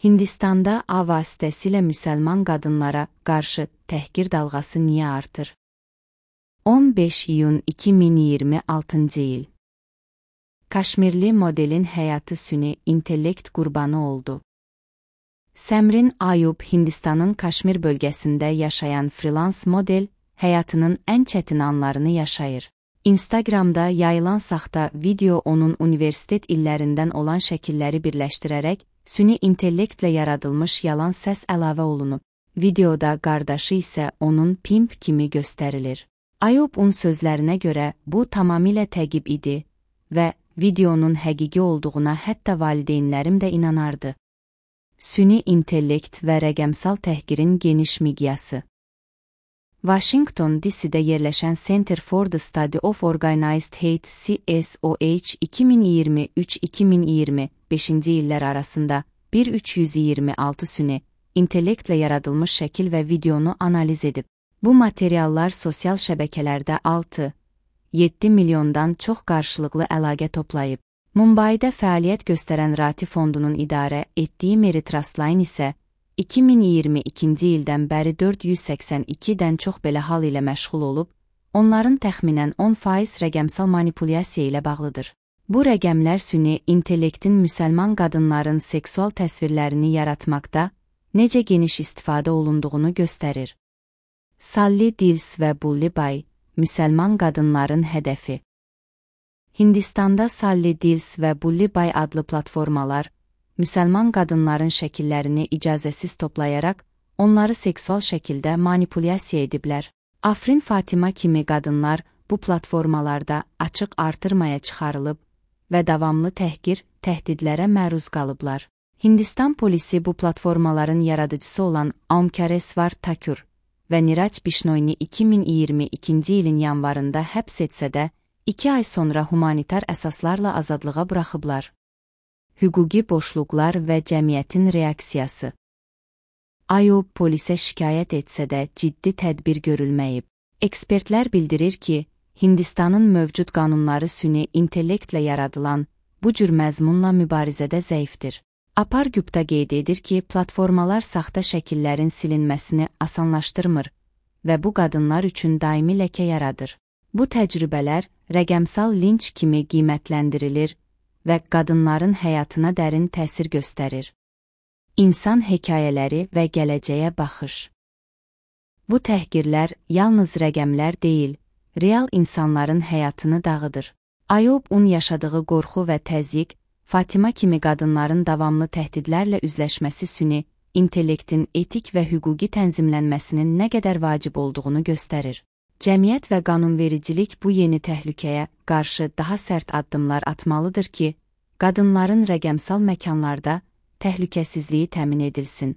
Hindistanda A vasitəsilə müsəlman qadınlara qarşı təhqir dalğası niyə artır? 15 iyun 2026-cı il. Kaşmirli modelin həyatı süni intellekt qurbanı oldu. Səmrin Ayub Hindistanın Kaşmir bölgəsində yaşayan freelance model həyatının ən çətin anlarını yaşayır. Instagramda yayılan saxta video onun universitet illərindən olan şəkilləri birləşdirərək süni intellektlə yaradılmış yalan səs əlavə olunub. Videoda qardaşı isə onun pimp kimi göstərilir. Ayub'un sözlərinə görə bu tamamilə təqib idi və videonun həqiqi olduğuna hətta valideynlərim də inanardı. Süni intellekt və rəqəmsal təhqirin geniş miqyası. Washington DC-də yerləşən Center for the Study of Organized Hate CSOH 2023-2025-ci illər arasında 1326 süni intellektlə yaradılmış şəkil və videonu analiz edib. Bu materiallar sosial şəbəkələrdə 6-7 milyondan çox qarşılıqlı əlaqə toplayıb. Mumbaidə fəaliyyət göstərən Rati fondunun idarə etdiyi Mary Trustline isə 2022-ci ildən bəri 482-dən çox belə hal ilə məşğul olub, onların təxminən 10% rəqəmsal manipulyasiya ilə bağlıdır. Bu rəqəmlər süni intellektin müsəlman qadınların seksual təsvirlərini yaratmaqda necə geniş istifadə olunduğunu göstərir. Sally Dills və Bully Bay, müsəlman qadınların hədəfi. Hindistanda Sally Dills və Bully Bay adlı platformalar, müsəlman qadınların şəkillərini icazəsiz toplayaraq, onları seksual şəkildə manipulyasiya ediblər. Afrin Fatima kimi qadınlar bu platformalarda açıq artırmaya çıxarılıb və davamlı təhqir, təhdidlərə məruz qalıblar. Hindistan polisi bu platformaların yaradıcısı olan Omkaresvar Thakur və Niraj Bishnoyni 2022-ci ilin yanvarında həbs etsə də, 2 ay sonra humanitar əsaslarla azadlığa buraxıblar. Hüquqi boşluqlar və cəmiyyətin reaksiyası. Ayub polisə şikayət etsə də ciddi tədbir görülməyib. Ekspertlər bildirir ki, Hindistanın mövcud qanunları süni intellektlə yaradılan bu cür məzmunla mübarizədə zəifdir. Apar Gupta qeyd edir ki, platformalar saxta şəkillərin silinməsini asanlaşdırmır və bu qadınlar üçün daimi ləkə yaradır. Bu təcrübələr rəqəmsal linç kimi qiymətləndirilir və qadınların həyatına dərin təsir göstərir. İnsan hekayələri və gələcəyə baxış. Bu təhqirlər yalnız rəqəmlər deyil, real insanların həyatını dağıdır. Ayub'un yaşadığı qorxu və təzyiq, Fatima kimi qadınların davamlı təhdidlərlə üzləşməsi süni intellektin etik və hüquqi tənzimlənməsinin nə qədər vacib olduğunu göstərir. Cəmiyyət və qanunvericilik bu yeni təhlükəyə qarşı daha sərt addımlar atmalıdır ki, qadınların rəqəmsal məkanlarda təhlükəsizliyi təmin edilsin.